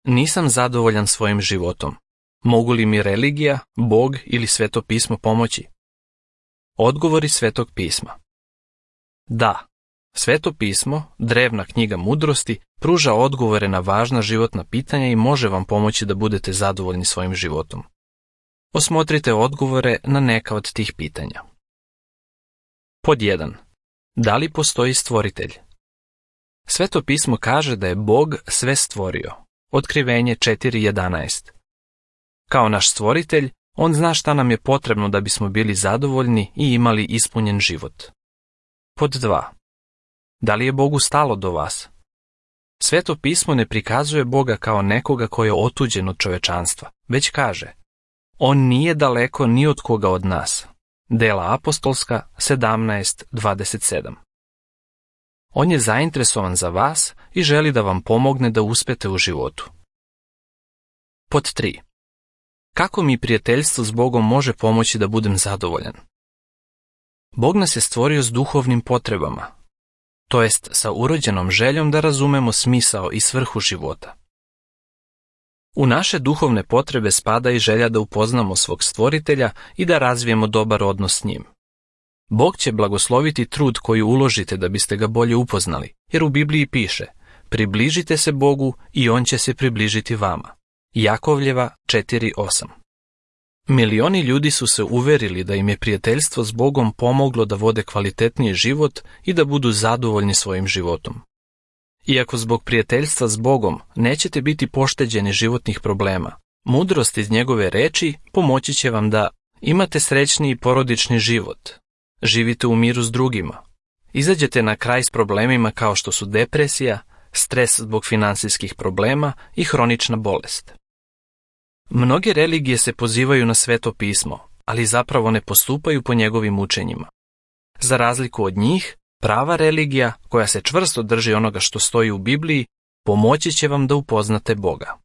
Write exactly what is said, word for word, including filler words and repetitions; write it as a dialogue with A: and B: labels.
A: Nisam zadovoljan svojim životom. Mogu li mi religija, Bog ili Sveto pismo pomoći? Odgovori Svetog pisma. Da, Sveto pismo, drevna knjiga mudrosti, pruža odgovore na važna životna pitanja i može vam pomoći da budete zadovoljni svojim životom. Osmotrite odgovore na neka od tih pitanja. Pod jedan. Da li postoji stvoritelj? Sveto pismo kaže da je Bog sve stvorio. Otkrivenje četiri jedanaest. Kao naš stvoritelj, on zna šta nam je potrebno da bismo bili zadovoljni i imali ispunjen život. Pod dva. Da li je Bogu stalo do vas? Sveto pismo ne prikazuje Boga kao nekoga koji je otuđen od čovečanstva, već kaže: on nije daleko ni od koga od nas. Dela apostolska sedamnaest dvadeset sedam. On je zainteresovan za vas i želi da vam pomogne da uspete u životu. Pod tri. Kako mi prijateljstvo s Bogom može pomoći da budem zadovoljan? Bog nas je stvorio s duhovnim potrebama, to jest sa urođenom željom da razumemo smisao i svrhu života. U naše duhovne potrebe spada i želja da upoznamo svog stvoritelja i da razvijemo dobar odnos s njim. Bog će blagosloviti trud koji uložite da biste ga bolje upoznali, jer u Bibliji piše: približite se Bogu i on će se približiti vama. Jakovljeva četiri osam. Milioni ljudi su se uverili da im je prijateljstvo s Bogom pomoglo da vode kvalitetniji život i da budu zadovoljni svojim životom. Iako zbog prijateljstva s Bogom nećete biti pošteđeni životnih problema, mudrost iz njegove reči pomoći će vam da imate srećniji porodični život, živite u miru s drugima, izađete na kraj s problemima kao što su depresija, stres zbog finansijskih problema i hronična bolest. Mnoge religije se pozivaju na Sveto pismo, ali zapravo ne postupaju po njegovim učenjima. Za razliku od njih, prava religija, koja se čvrsto drži onoga što stoji u Bibliji, pomoći će vam da upoznate Boga.